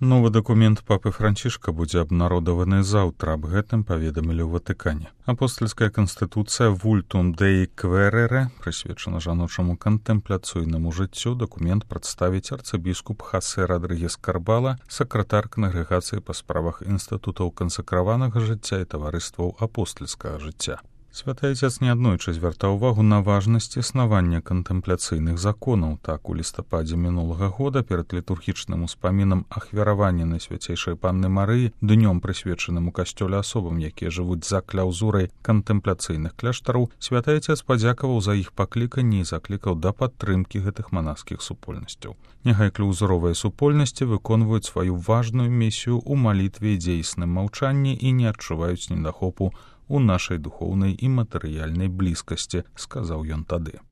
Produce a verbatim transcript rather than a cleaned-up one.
Новы дакумент папы Францішка будзе абнародаваны заўтра, аб гэтым паведамілі ў Ватыкане. Апостальская канстытуцыя Vultum Dei Quaerere, прысвечана жаночаму кантэмпляцыйнаму жыццю, дакумент прадставіць арцыбіскуп Хасе Родригес Карбала, сакратар кангрэгацыі па справах інстытутаў кансакраванага жыцця і таварыстваў апостальскага жыцця. Святы Отец неаднойчы звяртаў увагу на важнасць існавання кантэмпляцыйных законаў. Так, у лістападзе мінулага года перад літургічным успамінам ахвяравання Найсвяцейшай Панны Марыі, днём прысвечаным у касцёле асобам, якія жывуць за кляўзурай кантэмпляцыйных кляштараў, Святы Отец падзякаваў за іх пакліканне і заклікаў да падтрымкі гэтых манаскіх супольнасцяў. Няхай кляўзуровыя супольнасці выконваюць сваю важную місію ў малітве і дзейсным маўчанні і не адчуваюць недахопу у нашай духоўнай і матэрыяльнай блізкасці, сказаў ён тады.